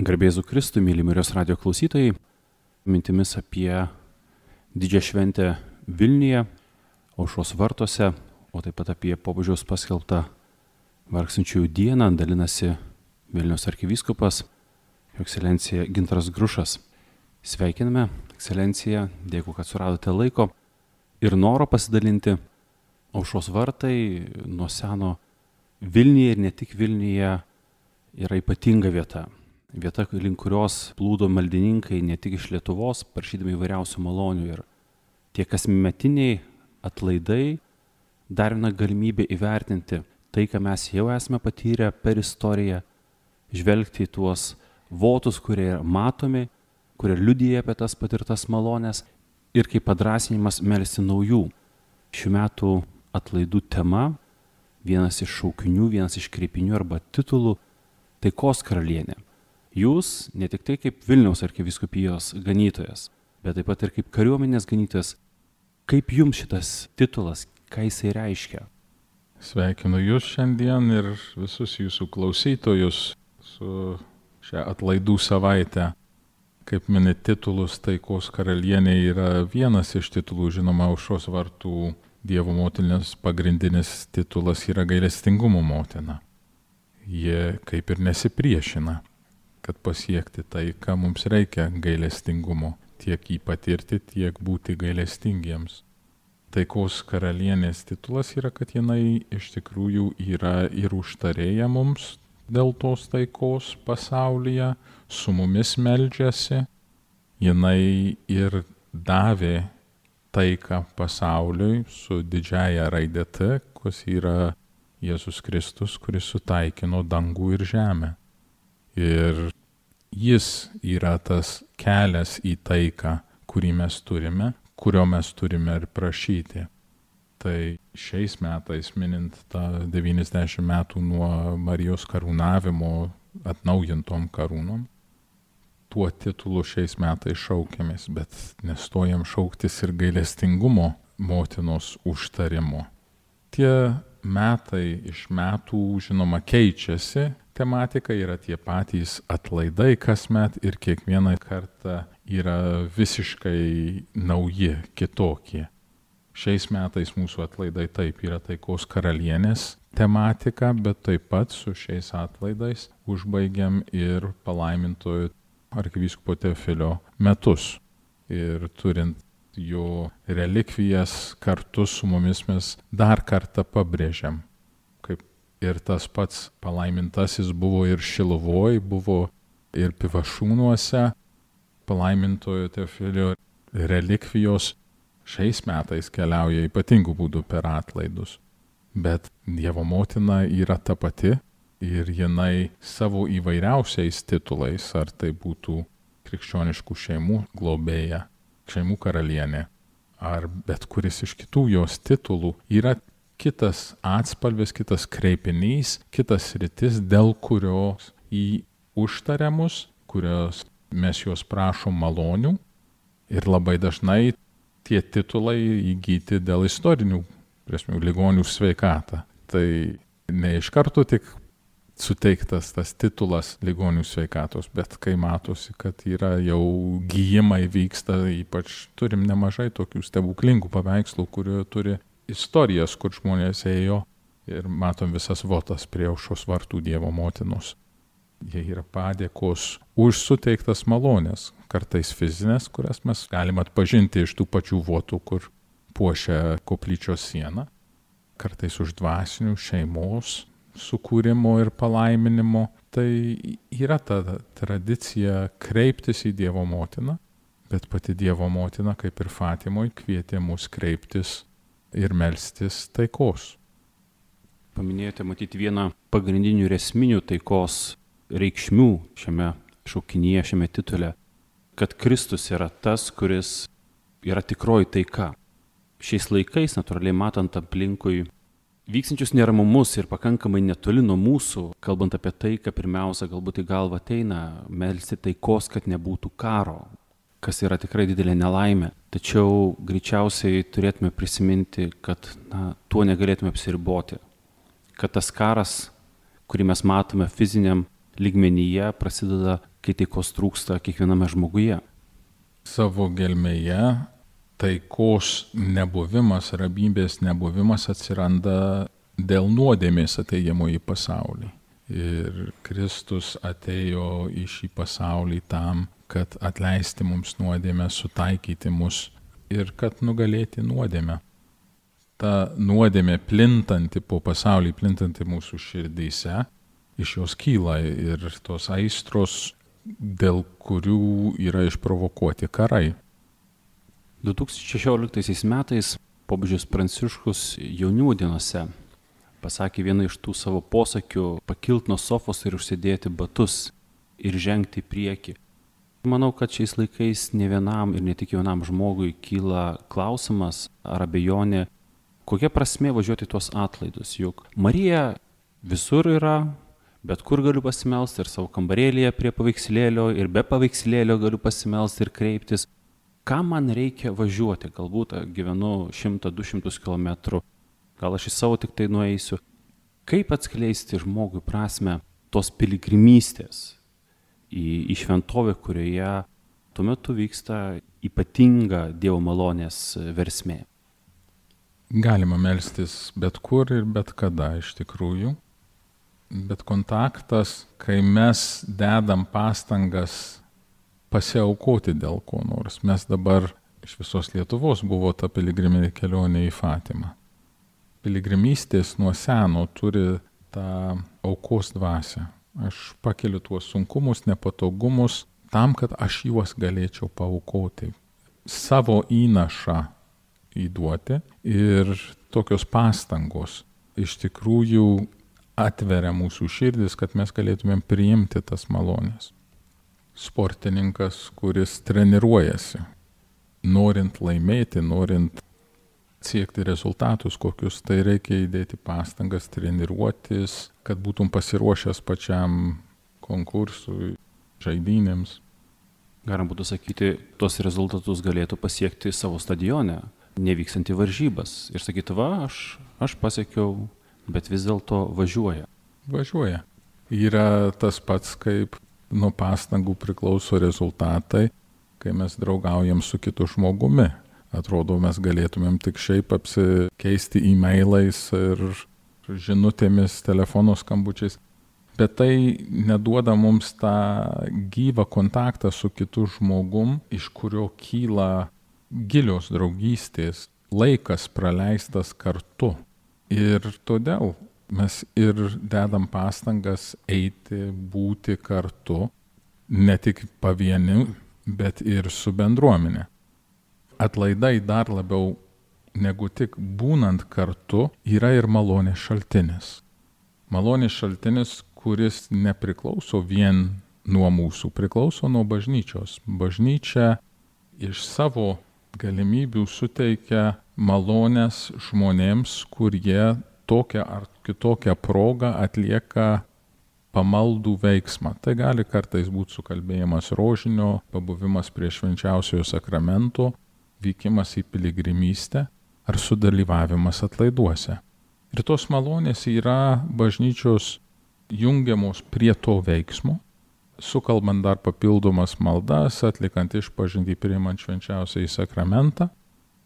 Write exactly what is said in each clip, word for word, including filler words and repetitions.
Garbėzu Kristui, myli Marijos radijo klausytojai, mintimis apie didžią šventę Vilniuje, Aušros vartuose, o taip pat apie popiežiaus paskelbtą vargstančiųjų dieną dalinasi Vilniaus arkivyskupas, Jo ekscelencija Gintaras Grušas. Sveikiname, ekscelencija, dėkui, kad suradote laiko ir noro pasidalinti. Aušros vartai nuo seno Vilniuje ir ne tik Vilniuje yra ypatinga vieta. Vieta, link kurios plūdo maldininkai ne tik iš Lietuvos, prašydami įvairiausių malonių. Ir tie kasmetiniai atlaidai dar viena galimybė įvertinti tai, ką mes jau esame patyrę per istoriją, žvelgti į tuos votus, kurie matomi, kurie liudija apie tas patirtas malonės ir kaip padrasinimas melsti naujų. Šių metų atlaidų tema, vienas iš šaukinių, vienas iš kreipinių arba titulų – Taikos karalienė. Jūs ne tik tai kaip Vilniaus arkivyskupijos ganytojas, bet taip pat ir kaip kariuomenės ganytojas. Kaip jums šitas titulas, ką jisai reiškia? Sveikinu jūs šiandien ir visus jūsų klausytojus su šią atlaidų savaitę. Kaip mini titulus, Taikos karalienė yra vienas iš titulų, žinoma, Aušros vartų Dievo motinos pagrindinis titulas yra gailestingumo motina. Jie kaip ir nesipriešina, kad pasiekti tai, ką mums reikia gailestingumo, tiek jį patirti, tiek būti gailestingiems. Taikos karalienės titulas yra, kad jinai iš tikrųjų yra ir užtarėja mums dėl tos taikos pasaulyje, su mumis meldžiasi, jinai ir davė taiką pasauliui su didžiaja raide T, kas yra Jėzus Kristus, kuris sutaikino dangų ir žemę. Ir jis yra tas kelias į taiką, kurį mes turime, kurio mes turime ir prašyti. Tai šiais metais, minint tą devyniasdešimt metų nuo Marijos karūnavimo atnaujintom karūnom, tuo titulu šiais metais šaukiamės, bet nestojam šauktis ir gailestingumo motinos užtarimo. Tie metai iš metų, žinoma, keičiasi, tematika yra tie patys atlaidai kasmet ir kiekvieną kartą yra visiškai nauji, kitokie. Šiais metais mūsų atlaidai taip yra Taikos karalienės tematika, bet taip pat su šiais atlaidais užbaigiam ir palaimintojo arkivyskupo Teofilio metus. Ir turint jo relikvijas kartu su mumis mes dar kartą pabrėžiam. Kaip ir tas pats palaimintasis buvo ir Šiluvoj, buvo ir Pivašiūnuose, palaimintojo Teofilio relikvijos šiais metais keliauja ypatingų būdų per atlaidus. Bet Dievo motina yra ta pati ir jinai savo įvairiausiais titulais, ar tai būtų krikščioniškų šeimų globėja, šeimų karalienė, ar bet kuris iš kitų jos titulų yra kitas atspalvis, kitas kreipinys, kitas sritis, dėl kurios į užtariamus, kurios mes jos prašom malonių ir labai dažnai tie titulai įgyti dėl istorinių, prasmių, ligonių sveikatą. Tai ne iš karto tik suteiktas tas titulas ligonių sveikatos, bet kai matosi, kad yra jau gyjimai vyksta, ypač turim nemažai tokių stebuklingų paveikslų, kurie turi istorijas, kur žmonės ėjo ir matom visas votas prie Aušros vartų Dievo motinos. Jie yra padėkos už suteiktas malonės, kartais fizinės, kurias mes galim atpažinti iš tų pačių votų, kur puošia koplyčios sieną, kartais už dvasinių šeimos sukūrimo ir palaiminimo. Tai yra ta tradicija kreiptis į Dievo motiną, bet pati Dievo motina, kaip ir Fatimoj, kvietė mus kreiptis ir melstis taikos. Paminėjote matyti vieną pagrindinių ir esminių taikos reikšmių šiame šaukinyje, šiame titule, kad Kristus yra tas, kuris yra tikroji taika. Šiais laikais, natūraliai matant aplinkui vykstančius neramumus ir pakankamai netoli nuo mūsų, kalbant apie taiką, pirmiausia, galbūt į galvą ateina melsti taikos, kad nebūtų karo, kas yra tikrai didelė nelaimė. Tačiau greičiausiai turėtume prisiminti, kad na, tuo negalėtume apsiriboti. Kad tas karas, kurį mes matome fiziniam lygmenyje, prasideda kai taikos trūksta kiekviename žmoguje? Savo gelmėje taikos nebuvimas, ramybės nebuvimas atsiranda dėl nuodėmės atėjimo į pasaulį. Ir Kristus atėjo į šį pasaulį tam, kad atleisti mums nuodėmę, sutaikyti mus ir kad nugalėti nuodėmę. Ta nuodėmė plintanti po pasaulį, plintanti mūsų širdyse, iš jos kyla ir tos aistros, dėl kurių yra išprovokuoti karai. du tūkstančiai šešioliktaisiais metais popiežius Pranciškus jaunimo dienose pasakė vieną iš tų savo posakių – pakilt nuo sofos ir užsidėti batus ir žengti į priekį. Manau, kad šiais laikais ne vienam ir ne tik jaunam žmogui kyla klausimas ar abejonė, kokia prasmė važiuoti tuos atlaidus. Juk Marija visur yra, bet kur galiu pasimelsti ir savo kambarėlėje prie paveikslėlio ir be paveikslėlio galiu pasimelsti ir kreiptis. Ką man reikia važiuoti? Galbūt gyvenu šimtą du šimtus kilometrų, gal aš į savo tik tai nueisiu. Kaip atskleisti žmogui prasme tos piligrimystės į, į šventovę, kurioje tuo metu vyksta ypatinga Dievo malonės versmė? Galima melstis bet kur ir bet kada iš tikrųjų, bet kontaktas, kai mes dedam pastangas pasiaukoti dėl ko nors. Mes dabar iš visos Lietuvos buvo ta piligriminė kelionė į Fatimą. Piligrimystės nuo seno turi tą aukos dvasią. Aš pakeliu tuos sunkumus, nepatogumus tam, kad aš juos galėčiau paaukoti. Savo įnašą įduoti ir tokios pastangos iš tikrųjų atveria mūsų širdis, kad mes galėtumėm priimti tas malonės. Sportininkas, kuris treniruojasi, norint laimėti, norint siekti rezultatus kokius, tai reikia įdėti pastangas, treniruotis, kad būtum pasiruošęs pačiam konkursui, žaidynėms. Galim būtų sakyti, tos rezultatus galėtų pasiekti savo stadione, nevykstant į varžybas. Ir sakyti, va, aš, aš pasiekiau, bet vis dėlto važiuoja. Važiuoja. Yra tas pats, kaip nuo pastangų priklauso rezultatai, kai mes draugaujam su kitu žmogumi. Atrodo, mes galėtumėm tik šiaip apsikeisti e-mailais ir žinutėmis, telefono skambučiais, bet tai neduoda mums tą gyvą kontaktą su kitu žmogum, iš kurio kyla gilios draugystės, laikas praleistas kartu. Ir todėl mes ir dedam pastangas eiti, būti kartu, ne tik pavieniu, bet ir su bendruomenė. Atlaidai dar labiau negu tik būnant kartu yra ir malonės šaltinis. Malonės šaltinis, kuris nepriklauso vien nuo mūsų, priklauso nuo bažnyčios. Bažnyčia iš savo galimybių suteikia malonės žmonėms, kurie tokią ar kitokią progą atlieka pamaldų veiksmą. Tai gali kartais būti sukalbėjimas rožinio, pabuvimas prie švenčiausiojo sakramento, vykimas į piligrimystę ar sudalyvavimas atlaiduose. Ir tos malonės yra bažnyčios jungiamos prie to veiksmo, sukalbant dar papildomas maldas, atlikant išpažintį, priimant švenčiausiąjį sakramentą,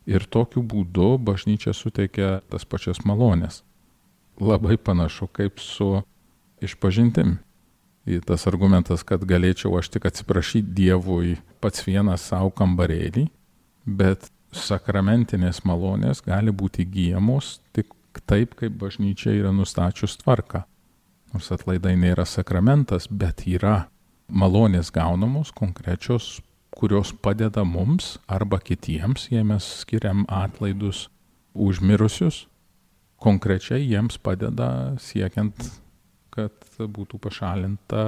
ir tokiu būdu bažnyčia suteikia tas pačias malonės. Labai panašu kaip su išpažintim. Ir tas argumentas, kad galėčiau aš tik atsiprašyti Dievui pats vienas savo kambarėlį, bet sakramentinės malonės gali būti įgyjamos tik taip, kaip bažnyčia yra nustačius tvarką. Nors atlaidai nėra sakramentas, bet yra malonės gaunamos konkrečios, kurios padeda mums arba kitiems, jei mes skiriam atlaidus už mirusius, konkrečiai jiems padeda siekiant, kad būtų pašalinta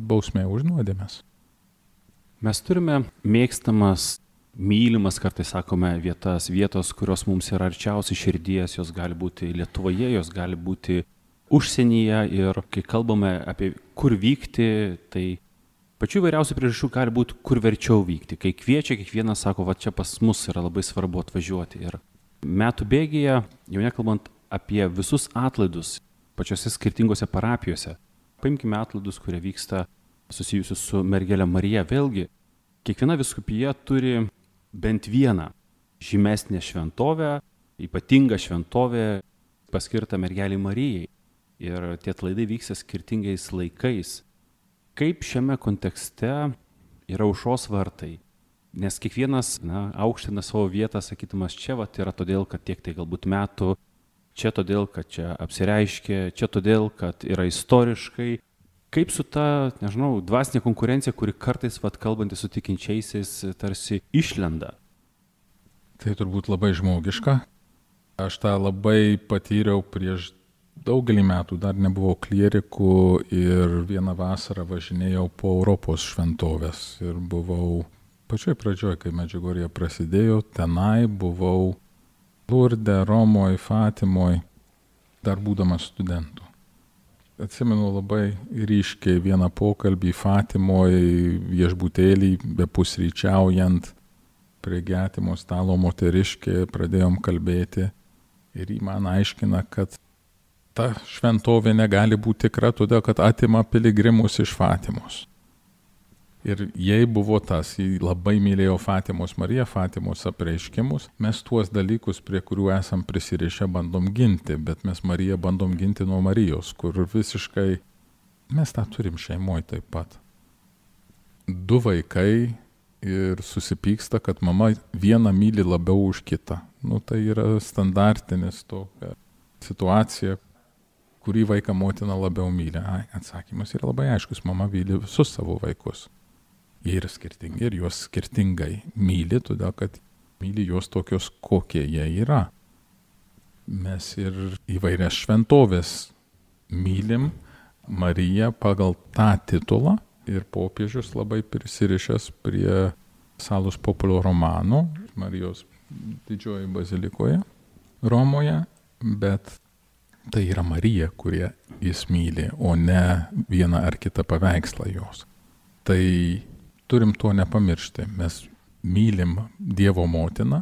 bausmė už nuodėmes. Mes turime mėgstamas, mylimas, kartais sakome, vietas, vietos, kurios mums yra arčiausiai širdies, jos gali būti Lietuvoje, jos gali būti užsienyje, ir kai kalbame apie kur vykti, tai pačių įvairiausių priežasčių gali būti, kur verčiau vykti. Kai kviečia, kiekvienas sako, va čia pas mus yra labai svarbu atvažiuoti. Ir metų bėgyje, jau nekalbant apie visus atlaidus pačiose skirtingose parapijose, paimkime atlaidus, kurie vyksta susijusių su mergelė Marija. Vėlgi, kiekviena vyskupija turi bent vieną žymesnę šventovę, ypatingą šventovę paskirtą mergelei Marijai. Ir tie atlaidai vyksta skirtingais laikais. Kaip šiame kontekste yra Aušros vartai? Nes kiekvienas na, aukština savo vietą, sakytumas, čia vat, yra todėl, kad tiek tai galbūt metų, čia todėl, kad čia apsireiškė, čia todėl, kad yra istoriškai. Kaip su ta, nežinau, dvasinė konkurencija, kuri kartais, vat, kalbantys su tikinčiaisiais, tarsi išlenda? Tai turbūt labai žmogiška. Aš tą labai patyriau prieš daugelį metų, dar nebuvau klierikų ir vieną vasarą važinėjau po Europos šventovės ir buvau pačioj pradžioj, kai Medžiugorjė prasidėjo, tenai buvau Lurde, Romoj, Fatimoj, dar būdamas studentu. Atsimenu labai ryškiai vieną pokalbį Fatimoj viešbutėlį, bepusryčiaujant, prie getimo stalo moteriškė, pradėjom kalbėti ir jį man aiškina, kad ta šventovė negali būti tikra, todėl kad atima piligrimus iš Fatimos. Ir jei buvo tas, jį labai mylėjo Fatimos Mariją, Fatimos apreiškimus, mes tuos dalykus, prie kurių esam prisirišę, bandom ginti, bet mes Mariją bandom ginti nuo Marijos, kur visiškai mes tą turim šeimoje taip pat. Du vaikai ir susipyksta, kad mama vieną myli labiau už kitą. Nu, tai yra standartinis tokia situacija, kurį vaiką motina labiau myli. Ai, atsakymas yra labai aiškus, mama myli visus savo vaikus. Jie yra skirtingi ir juos skirtingai myli, todėl kad myli juos tokios, kokie jie yra. Mes ir įvairias šventovės mylim Mariją pagal tą titulą ir popiežius labai prisirišęs prie Salus Populo Romano, Marijos didžioji bazilikoje Romoje, bet tai yra Marija, kurie jis myli, o ne vieną ar kitą paveikslą jos. Tai turim to nepamiršti. Mes mylim Dievo motiną,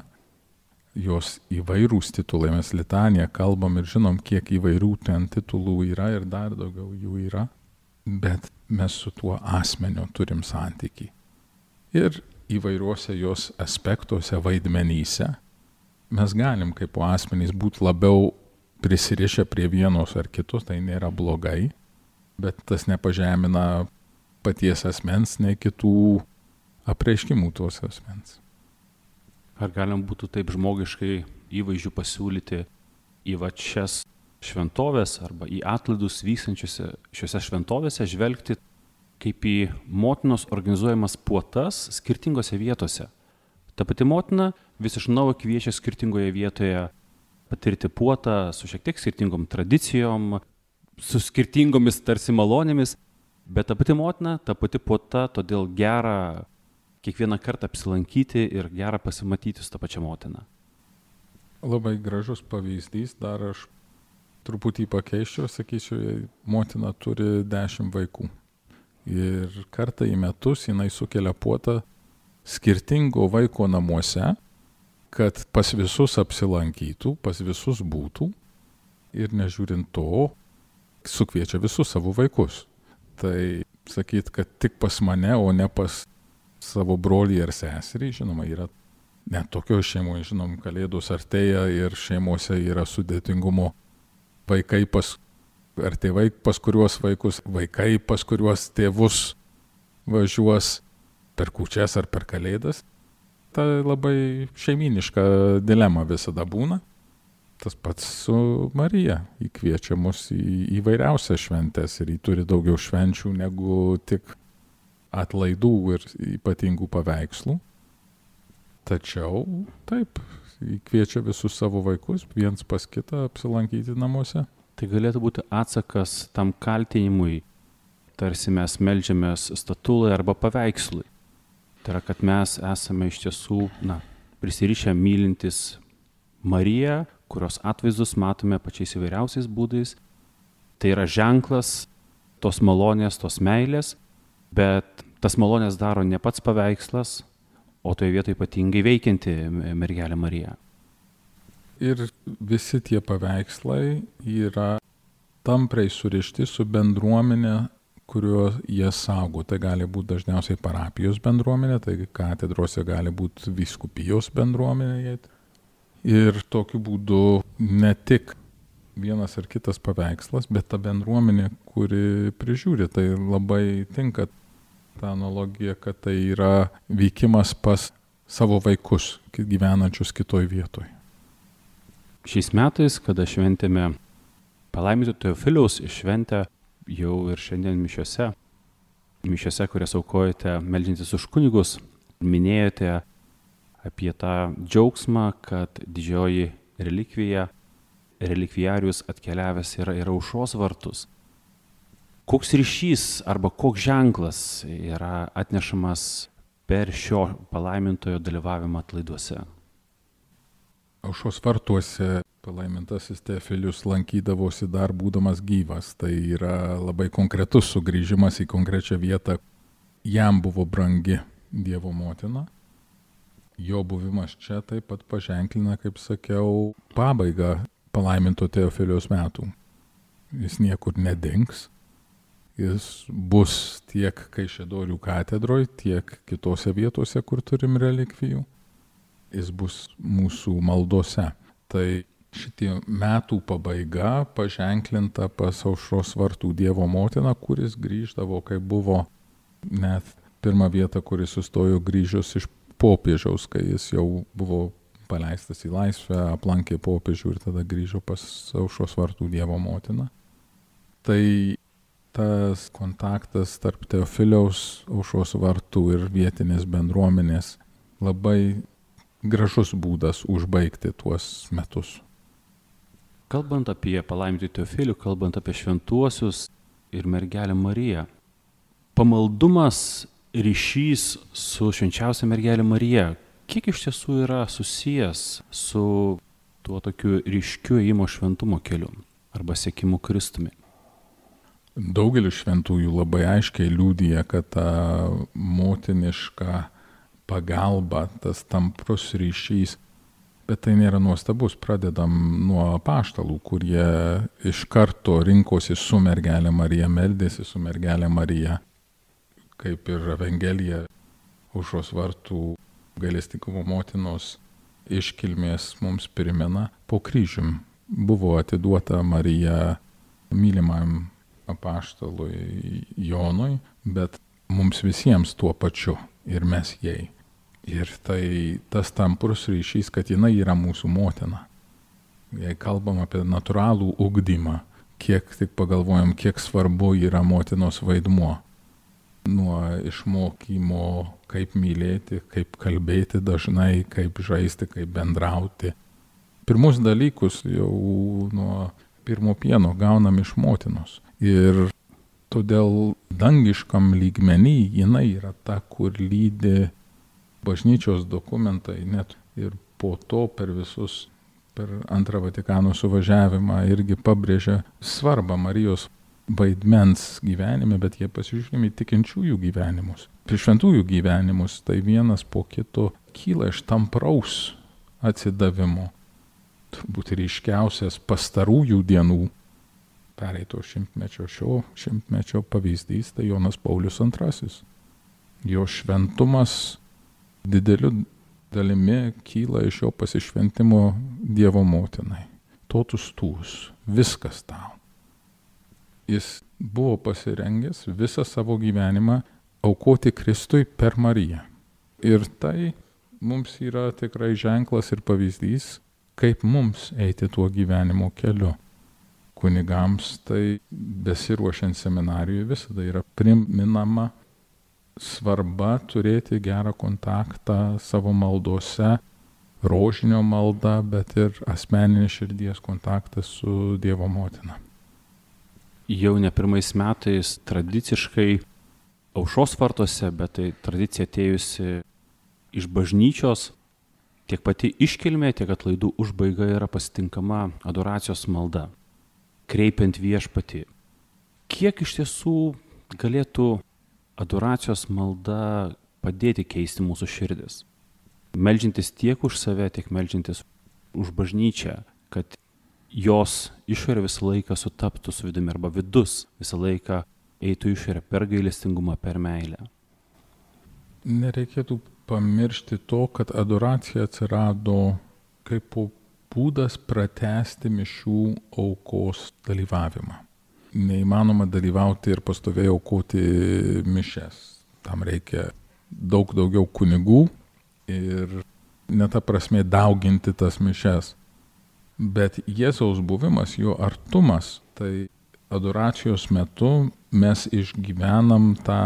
jos įvairūs titulai, mes litaniją kalbam ir žinom, kiek įvairių ten titulų yra ir dar daugiau jų yra, bet mes su tuo asmeniu turim santykį. Ir įvairiuose jos aspektuose, vaidmenyse, mes galim kaip po asmenys būti labiau prisirišę prie vienos ar kitos, tai nėra blogai, bet tas nepažemina paties asmens, nei kitų apreiškimų tos asmens. Ar galim būtų taip žmogiškai įvaizdžių pasiūlyti į va šias šventovės arba į atlaidus vykstančiuose šiuose šventovėse žvelgti kaip į motinos organizuojamas puotas skirtingose vietose. Ta pati motina vis iš naujo kviečia skirtingoje vietoje patirti puotą su šiek tiek skirtingom tradicijom, su skirtingomis tarsi malonėmis, bet ta pati motina, ta pati puota, todėl gera kiekvieną kartą apsilankyti ir gera pasimatyti su ta pačia motina. Labai gražus pavyzdys, dar aš truputį pakeiščiau, sakyčiau, motina turi dešimt vaikų. Ir kartą į metus jinai sukelia puotą skirtingo vaiko namuose, kad pas visus apsilankytų, pas visus būtų ir nežiūrint to, sukviečia visus savo vaikus. Tai sakyt, kad tik pas mane, o ne pas savo brolį ar seserį, žinoma, yra net tokio šeimoje, žinom, kalėdos artėja ir šeimose yra sudėtingumo. Vaikai pas, ar tėvai pas kuriuos vaikus, vaikai pas kuriuos tėvus važiuos per kūčias ar per kalėdas. Ta labai šeiminiška dilema visada būna. Tas pats su Marija. Ji kviečia mus į įvairiausias šventes ir ji turi daugiau švenčių negu tik atlaidų ir ypatingų paveikslų. Tačiau taip, ji kviečia visus savo vaikus viens pas kitą apsilankyti namuose. Tai galėtų būti atsakas tam kaltinimui, tarsi mes meldžiamės statulai arba paveikslui. Tai yra, kad mes esame iš tiesų, na, prisirišę mylintis Mariją, kurios atvaizdus matome pačiais įvairiausiais būdais. Tai yra ženklas tos malonės, tos meilės, bet tas malonės daro ne pats paveikslas, o toje vietoje ypatingai veikianti mergelė Marija. Ir visi tie paveikslai yra tampriai surišti su bendruomenė, kurio jie saugo. Tai gali būti dažniausiai parapijos bendruomenė, tai katedrose gali būti vyskupijos bendruomenė. Ir tokiu būdu ne tik vienas ar kitas paveikslas, bet ta bendruomenė, kuri prižiūri. Tai labai tinka ta analogija, kad tai yra vykimas pas savo vaikus, gyvenančius kitoj vietoj. Šiais metais, kada šventėme palaiminto Teofiliaus šventę, jau ir šiandien mišiose, mišiose, kurias aukojate meldžiantis už kunigus, minėjote apie tą džiaugsmą, kad didžioji relikvija, relikvijarius atkeliavęs yra į aušros vartus. Koks ryšys arba koks ženklas yra atnešamas per šio palaimintojo dalyvavimą atlaiduose? Aušros vartuose palaimintasis Teofilius lankydavosi dar būdamas gyvas. Tai yra labai konkretus sugrįžimas į konkrečią vietą. Jam buvo brangi Dievo motina. Jo buvimas čia taip pat paženklina, kaip sakiau, pabaigą palaiminto Teofiliaus metų. Jis niekur nedings. Jis bus tiek Kaišiadorių katedroje, tiek kitose vietose, kur turim relikvijų. Jis bus mūsų maldose. Tai šitie metų pabaiga paženklinta pas aušros vartų Dievo motiną, kuris grįždavo, kai buvo net pirmą vietą, kuris sustojo grįžus iš popiežiaus, kai jis jau buvo paleistas į laisvę, aplankė popiežių ir tada grįžo pas aušros vartų Dievo motiną. Tai tas kontaktas tarp Teofiliaus, aušros vartų ir vietinės bendruomenės labai gražus būdas užbaigti tuos metus. Kalbant apie palaimintąjį Teofilių, kalbant apie šventuosius ir mergelę Mariją, pamaldumas, ryšys su švenčiausia mergelė Marija, kiek iš tiesų yra susijęs su tuo tokiu ryškiu ėjimo šventumo keliu arba sekimu Kristumi? Daugelis šventųjų labai aiškiai liudija, kad ta motiniška pagalba, tas tamprus ryšys, bet tai nėra nuostabus. Pradedam nuo apaštalų, kurie iš karto rinkosi su mergelė Marija, meldėsi su mergelė Marija, kaip ir Evangelija aušros vartų gailestingumo motinos iškilmės mums primena. Po kryžium buvo atiduota Marija mylimam apaštalui Jonui, bet mums visiems tuo pačiu ir mes jai. Ir tai tas tamprus ryšys, kad jinai yra mūsų motina. Jei kalbam apie natūralų ugdymą, kiek tik pagalvojam, kiek svarbu yra motinos vaidmuo. Nuo išmokymo, kaip mylėti, kaip kalbėti dažnai, kaip žaisti, kaip bendrauti. Pirmus dalykus jau nuo pirmo pieno gaunam iš motinos. Ir todėl dangiškam lygmenį jinai yra ta, kur lydi bažnyčios dokumentai, net ir po to per visus, per antrą Vatikano suvažiavimą irgi pabrėžia svarbą Marijos vaidmens gyvenime, bet jie pasižiūrimi tikinčiųjų gyvenimus. Prie šventųjų gyvenimus tai vienas po kito kyla iš tampraus atsidavimo. Turbūt ryškiausias pastarųjų dienų pereito šimtmečio, šio šimtmečio pavyzdys tai Jonas Paulius antrasis. Jo šventumas dideliu dalimi kyla iš jo pasišventimo Dievo motinai. Totus tūs, viskas tau. Jis buvo pasirengęs visą savo gyvenimą aukoti Kristui per Mariją. Ir tai mums yra tikrai ženklas ir pavyzdys, kaip mums eiti tuo gyvenimo keliu. Kunigams tai besiruošiant seminarijui visada yra priminama svarba turėti gerą kontaktą savo maldose, rožinio malda, bet ir asmeninį širdies kontaktą su Dievo motina. Jau ne pirmais metais tradiciškai aušros vartuose, bet tai tradicija atėjusi iš bažnyčios, tiek pati iškilmė, tiek atlaidų užbaiga yra pasitinkama adoracijos malda, kreipiant viešpatį. Kiek iš tiesų galėtų adoracijos malda padėti keisti mūsų širdis? Meldžiantis tiek už save, tiek meldžiantis už bažnyčią, kad jos išorė visą laiką sutaptų su vidumi arba vidus visą laiką eitų išorę per gailestingumą, per meilę. Nereikėtų pamiršti to, kad adoracija atsirado kaip būdas pratęsti mišių aukos dalyvavimą. Neįmanoma dalyvauti ir pastoviai aukoti mišias. Tam reikia daug daugiau kunigų ir ne ta prasme dauginti tas mišias. Bet Jėzaus buvimas, jo artumas, tai adoracijos metu mes išgyvenam tą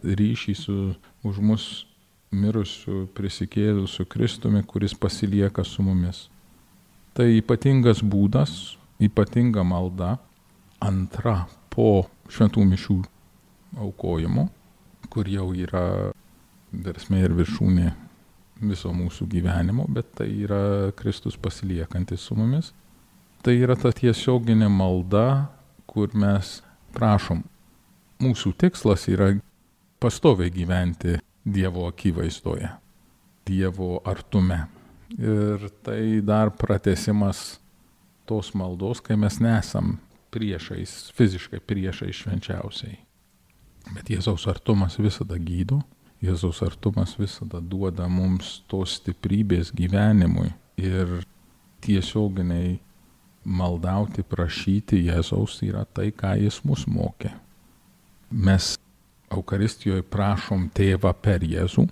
ryšį su už mus mirusiu, prisikėlusiu Kristumi, kuris pasilieka su mumis. Tai ypatingas būdas, ypatinga malda, antra po šventų mišių aukojimo, kur jau yra versmė ir viršūnė viso mūsų gyvenimo, bet tai yra Kristus pasiliekantis su mumis. Tai yra ta tiesioginė malda, kur mes prašom. Mūsų tikslas yra pastoviai gyventi Dievo akivaizdoje, Dievo artume. Ir tai dar pratęsimas tos maldos, kai mes nesam priešais, fiziškai priešais švenčiausiai. Bet Jėzaus artumas visada gydo, Jėzaus artumas visada duoda mums tos stiprybės gyvenimui ir tiesioginiai maldauti, prašyti Jėzaus yra tai, ką jis mus mokė. Mes Eucharistijoje prašom Tėvą per Jėzų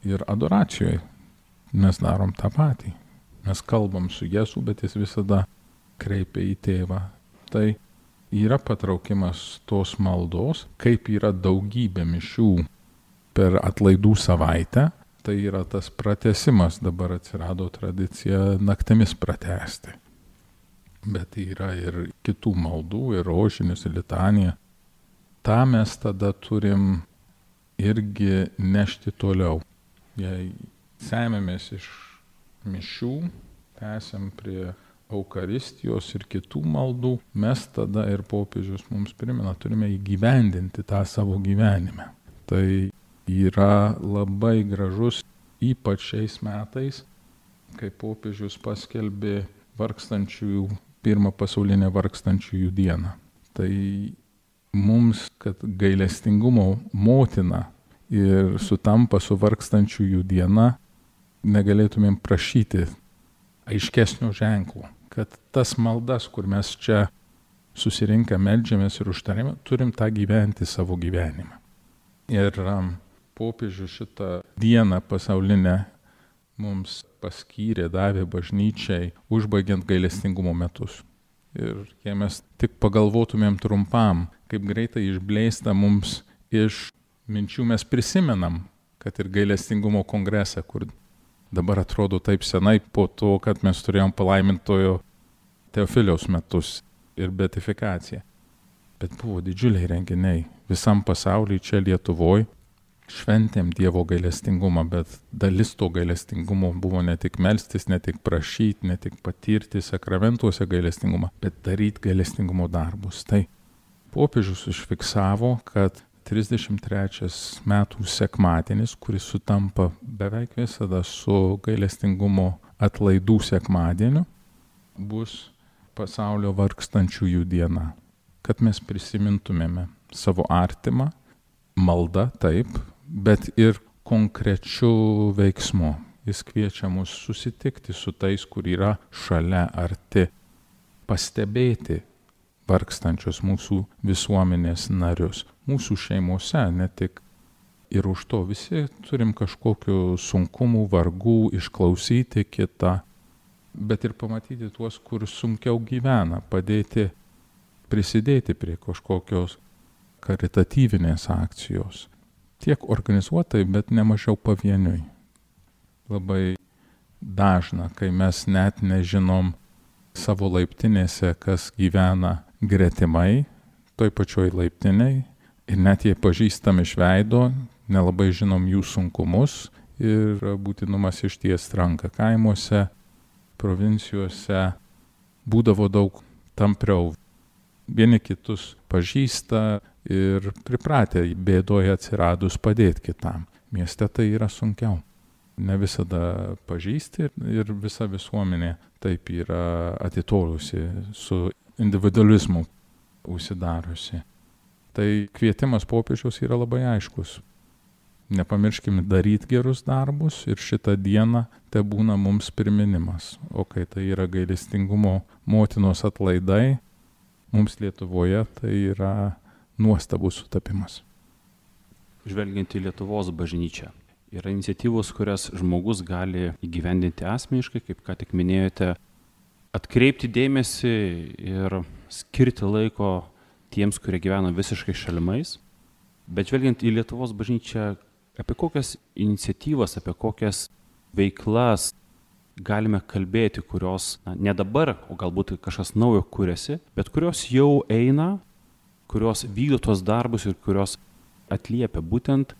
ir adoracijoje mes darom tą patį. Mes kalbam su Jėzu, bet jis visada kreipia į Tėvą. Tai yra patraukimas tos maldos, kaip yra daugybė mišių per atlaidų savaitę. Tai yra tas pratęsimas, dabar atsirado tradicija naktimis pratęsti. Bet yra ir kitų maldų, ir rožinis, ir litanija. Ta mes tada turim irgi nešti toliau. Jei semėmės iš mišių, tęsiam prie Eucharistijos ir kitų maldų, mes tada ir popiežius mums primena, turime įgyvendinti tą savo gyvenime. Tai yra labai gražus, ypač šiais metais, kai popiežius paskelbė vargstančiųjų, pirmą pasaulinę vargstančiųjų dieną. Tai mums, kad gailestingumo motina ir sutampa su vargstančiųjų diena, negalėtumėm prašyti aiškesnio ženklo, kad tas maldas, kur mes čia susirinkę meldžiamės ir užtarėme, turim tą gyventi savo gyvenimą. Ir um, popiežius šitą dieną pasaulinę mums paskyrė, davė bažnyčiai, užbaigiant gailestingumo metus. Ir jei mes tik pagalvotumėm trumpam, kaip greitai išblėsta mums iš minčių, mes prisimenam, kad ir gailestingumo kongresą, kur dabar atrodo taip senai po to, kad mes turėjom palaimintojo Teofiliaus metus ir beatifikaciją. Bet buvo didžiuliai renginiai visam pasaulyje, čia Lietuvoje. Šventėm Dievo gailestingumą, bet dalis to gailestingumo buvo ne tik melstis, ne tik prašyti, ne tik patirti sakramentuose gailestingumą, bet daryti gailestingumo darbus. Tai popiežius užfiksavo, kad trisdešimt trečias metų sekmadienis, kuris sutampa beveik visada su gailestingumo atlaidų sekmadieniu, bus pasaulio vargstančiųjų diena. Kad mes prisimintumėme savo artimą, malda taip, bet ir konkrečių veiksmų. Jis kviečia mus susitikti su tais, kur yra šalia, arti, pastebėti vargstančius mūsų visuomenės narius, mūsų šeimose, ne tik. Ir už to visi turim kažkokių sunkumų, vargų, išklausyti kitą, bet ir pamatyti tuos, kur sunkiau gyvena, padėti, prisidėti prie kažkokios karitatyvinės akcijos. Tiek organizuotai, bet nemažiau pavieniui. Labai dažna, kai mes net nežinom savo laiptinėse, kas gyvena gretimai, toj pačioj laiptiniai, ir net jei pažįstam iš veido, nelabai žinom jų sunkumus ir būtinumas ištiest ranką. Kaimuose, provincijose būdavo daug tampriau. Vieni kitus pažįsta ir pripratę bėdoje atsiradus padėti kitam. Mieste tai yra sunkiau. Ne visada pažįsti ir visa visuomenė taip yra atitolusi, su individualizmu užsidariusi. Tai kvietimas popiežiaus yra labai aiškus. Nepamirškime daryti gerus darbus ir šitą dieną te būna mums priminimas. O kai tai yra gailestingumo motinos atlaidai, mums Lietuvoje tai yra nuostabus sutapimas. Žvelgiant į Lietuvos bažnyčią, yra iniciatyvos, kurias žmogus gali įgyvendinti asmeniškai, kaip ką tik minėjote, atkreipti dėmesį ir skirti laiko tiems, kurie gyvena visiškai šalimais. Bet žvelgiant į Lietuvos bažnyčią, apie kokias iniciatyvas, apie kokias veiklas galime kalbėti, kurios na, ne dabar, o galbūt kažkas naujo kuriasi, bet kurios jau eina, kurios vykdo tos darbus ir kurios atliepia būtent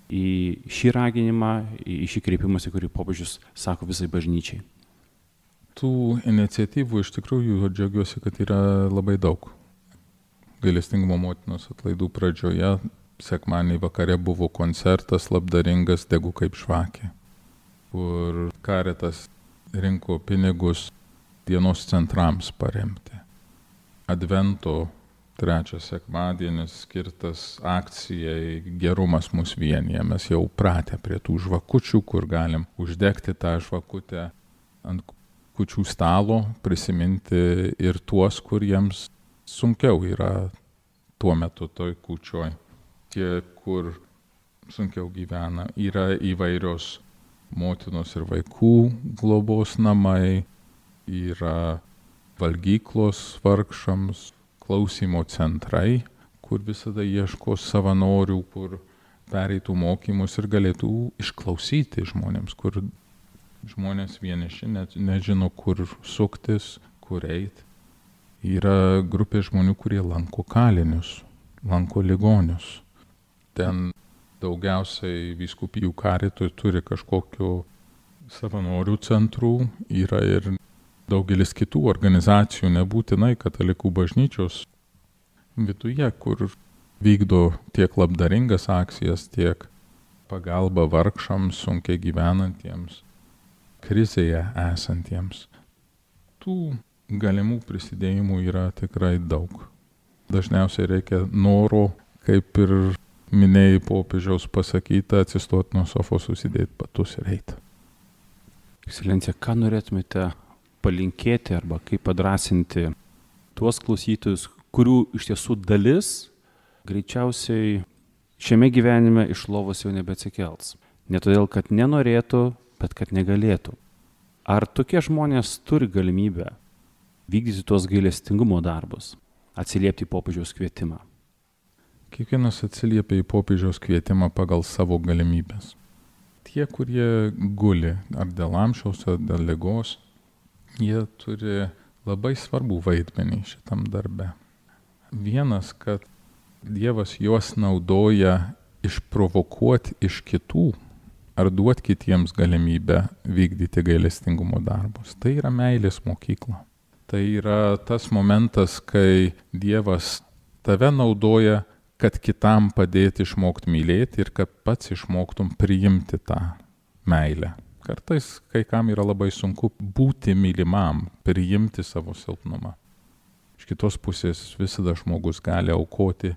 į šį raginimą, į šį kreipimąsi, kurį popiežius sako visai bažnyčiai. Tų iniciatyvų iš tikrųjų džiaugiuosi, kad yra labai daug. Gailestingumo motinos atlaidų pradžioje sekmadienį vakare buvo koncertas labdaringas Degu kaip žvakė, kur Caritas rinko pinigus dienos centrams paremti. Advento trečias sekmadienis skirtas akcijai Gerumas mus vienija. Mes jau pratę prie tų žvakučių, kur galim uždegti tą žvakutę ant kūčių stalo, prisiminti ir tuos, kuriems sunkiau yra tuo metu toj kūčioj. Tie, kur sunkiau gyvena, yra įvairios motinos ir vaikų globos namai, yra valgyklos vargšams, klausymo centrai, kur visada ieško savanorių, kur pereitų mokymus ir galėtų išklausyti žmonėms, kur žmonės vieniši net nežino, kur suktis, kur eiti. Yra grupė žmonių, kurie lanko kalinius, lanko ligonius. Ten daugiausiai vyskupijų karitui turi kažkokių savanorių centrų, yra ir daugelis kitų organizacijų, nebūtinai katalikų bažnyčios viduje, kur vykdo tiek labdaringas akcijas, tiek pagalba vargšams, sunkiai gyvenantiems, krizėje esantiems. Tų galimų prisidėjimų yra tikrai daug. Dažniausiai reikia noro, kaip ir minėjai popiežiaus pasakyta, atsistoti nuo sofos, susidėti batus ir eiti. Ekscelencija, ką norėtumėte palinkėti arba kaip padrasinti tuos klausytojus, kurių iš tiesų dalis greičiausiai šiame gyvenime iš lovos jau nebeatsikels. Ne todėl, kad nenorėtų, bet kad negalėtų. Ar tokie žmonės turi galimybę vykdyti tuos gailestingumo darbus, atsiliepti į popiežiaus kvietimą? Kiekvienas atsiliepia į popiežiaus kvietimą pagal savo galimybės. Tie, kurie guli ar dėl amžiaus, ar dėl ligos, jie turi labai svarbų vaidmenį šitam darbe. Vienas, kad Dievas juos naudoja išprovokuoti iš kitų ar duoti kitiems galimybę vykdyti gailestingumo darbus. Tai yra meilės mokykla. Tai yra tas momentas, kai Dievas tave naudoja, kad kitam padėti išmokti mylėti ir kad pats išmoktum priimti tą meilę. Kartais kai kam yra labai sunku būti mylimam, priimti savo silpnumą. Iš kitos pusės visada žmogus gali aukoti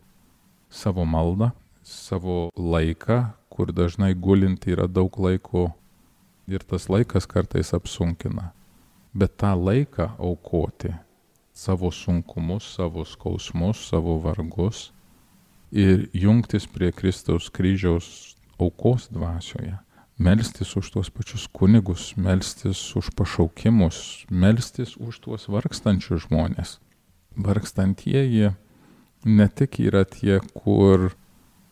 savo maldą, savo laiką, kur dažnai gulinti yra daug laiko ir tas laikas kartais apsunkina. Bet tą laiką aukoti, savo sunkumus, savo skausmus, savo vargus ir jungtis prie Kristaus kryžiaus aukos dvasioje, melstis už tuos pačius kunigus, melstis už pašaukimus, melstis už tuos vargstančius žmonės. Vargstantieji ne tik yra tie, kur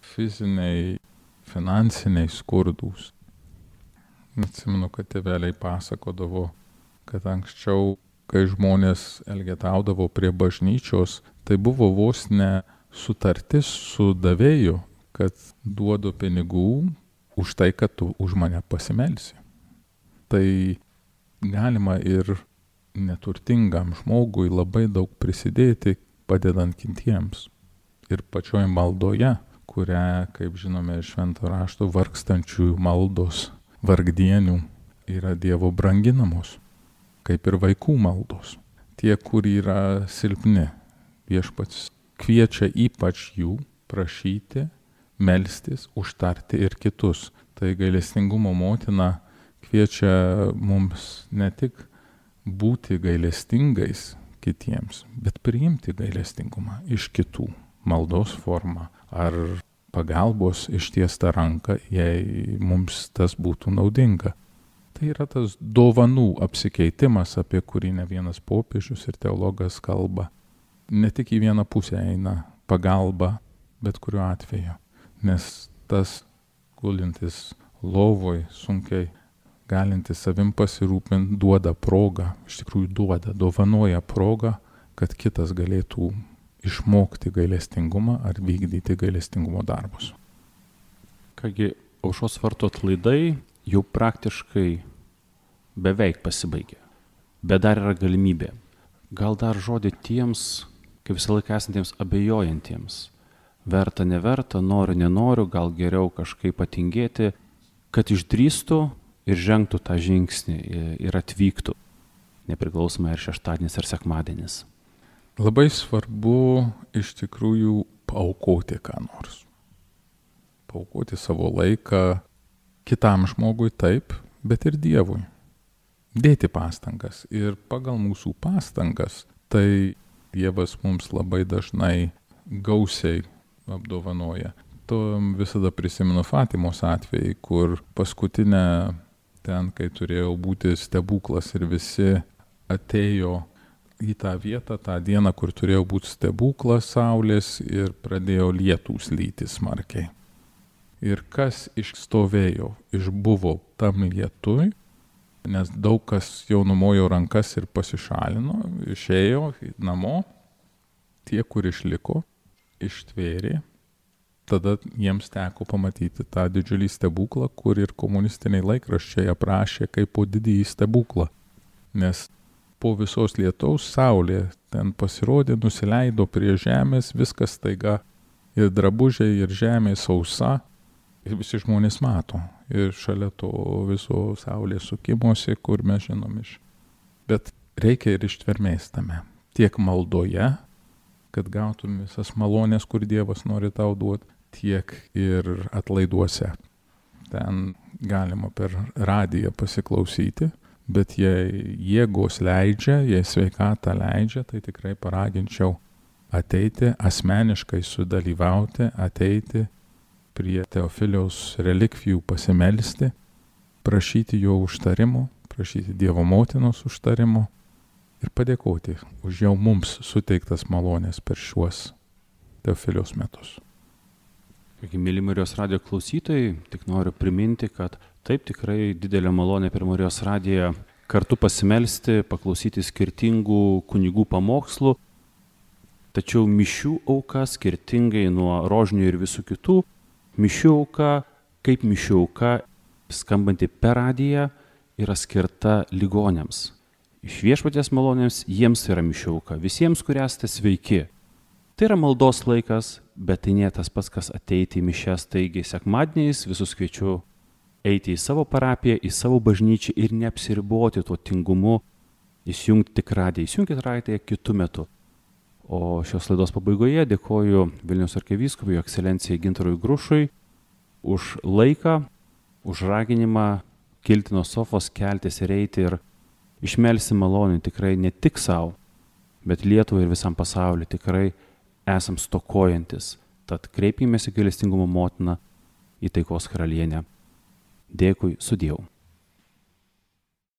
fiziniai, finansiniai skurdūs. Atsimenu, kad tėveliai pasakodavo, kad anksčiau, kai žmonės elgetaudavo prie bažnyčios, tai buvo vos ne sutartis su davėju, kad duodu pinigų už tai, kad tu už mane pasimelsi. Tai galima ir neturtingam žmogui labai daug prisidėti, padedant kitiems. Ir pačioj maldoje, kurią, kaip žinome iš Švento rašto, vargstančiųjų maldos, vargdienių yra Dievo branginamos, kaip ir vaikų maldos. Tie, kur yra silpni, Viešpats kviečia ypač jų prašyti, melstis, užtarti ir kitus. Tai gailestingumo motina kviečia mums ne tik būti gailestingais kitiems, bet priimti gailestingumą iš kitų, maldos formą ar pagalbos ištiestą ranką, jei mums tas būtų naudinga. Tai yra tas dovanų apsikeitimas, apie kurį ne vienas popiežius ir teologas kalba. Ne tik į vieną pusę eina pagalba, bet kuriuo atveju. Nes tas gulintis lovoj, sunkiai galintis savim pasirūpinti, duoda progą, iš tikrųjų duoda, dovanoja progą, kad kitas galėtų išmokti gailestingumą ar vykdyti gailestingumo darbus. Kągi, aušros vartų atlaidai jau praktiškai beveik pasibaigė, bet dar yra galimybė. Gal dar žodį tiems, kaip visą laiką esantiems abejojantiems, verta, neverta, noriu, nenoriu, gal geriau kažkaip patingėti, kad išdrįstų ir žengtų tą žingsnį ir atvyktų, nepriklausomai ar šeštadienis ar sekmadienis. Labai svarbu iš tikrųjų paaukoti ką nors. Paaukoti savo laiką kitam žmogui taip, bet ir Dievui. Dėti pastangas. Ir pagal mūsų pastangas, tai Dievas mums labai dažnai gausiai apdovanoja. To visada prisimenu Fatimos atvejį, kur paskutinę ten, kai turėjo būti stebuklas ir visi atėjo į tą vietą, tą dieną, kur turėjo būti stebuklas saulės ir pradėjo lietūs lyti smarkiai. Ir kas išstovėjo, išbuvo tam lietui, nes daug kas jau numojo rankas ir pasišalino, išėjo namo, tie, kur išliko, ištvėrė. Tada jiems teko pamatyti tą didžiulį stebuklą, kur ir komunistiniai laikraščiai aprašė kaip po didįjį stebuklą. Nes po visos lietaus saulė ten pasirodė, nusileido prie žemės, viskas staiga ir drabužiai, ir žemė sausa. Ir visi žmonės mato. Ir šalia to viso saulės sukimosi, kur mes žinom iš. Bet reikia ir ištvermės tame. Tiek maldoje, kad gautum visas malonės, kur Dievas nori tau duoti, tiek ir atlaiduose. Ten galima per radiją pasiklausyti, bet jei jėgos leidžia, jei sveikata leidžia, tai tikrai paraginčiau ateiti, asmeniškai sudalyvauti, ateiti prie Teofiliaus relikvijų pasimelsti, prašyti jo užtarimo, prašyti Dievo motinos užtarimo ir padėkoti už jau mums suteiktas malonės per šiuos Teofiliaus metus. Mėly Marijos radijo klausytojai, tik noriu priminti, kad taip tikrai didelė malonė per Marijos radiją kartu pasimelsti, paklausyti skirtingų kunigų pamokslų, tačiau mišių auka skirtingai nuo rožinių ir visų kitų, mišių auka, kaip mišių auka, skambanti per radiją, yra skirta ligoniams. Iš Viešpaties malonėms jiems yra mišių auka, visiems, kurie esate sveiki. Tai yra maldos laikas, bet tai nėra tas pats, kas ateiti į mišias. Taigi sekmadieniais visus kviečiu eiti į savo parapiją, į savo bažnyčią ir neapsiriboti tuo tingumu, įsijungti tik radiją, įsijungti radiją kitu metu. O šios laidos pabaigoje dėkoju Vilniaus arkivyskupui, jo ekscelencijai Gintarui Grušui už laiką, už raginimą kilti nuo sofos, keltis ir eiti ir išmelsti malonę tikrai ne tik savo, bet Lietuvai ir visam pasauliu. Tikrai esam stokojantis, tad kreipkimės į gailestingumo motiną, į taikos karalienę. Dėkui, sudiev.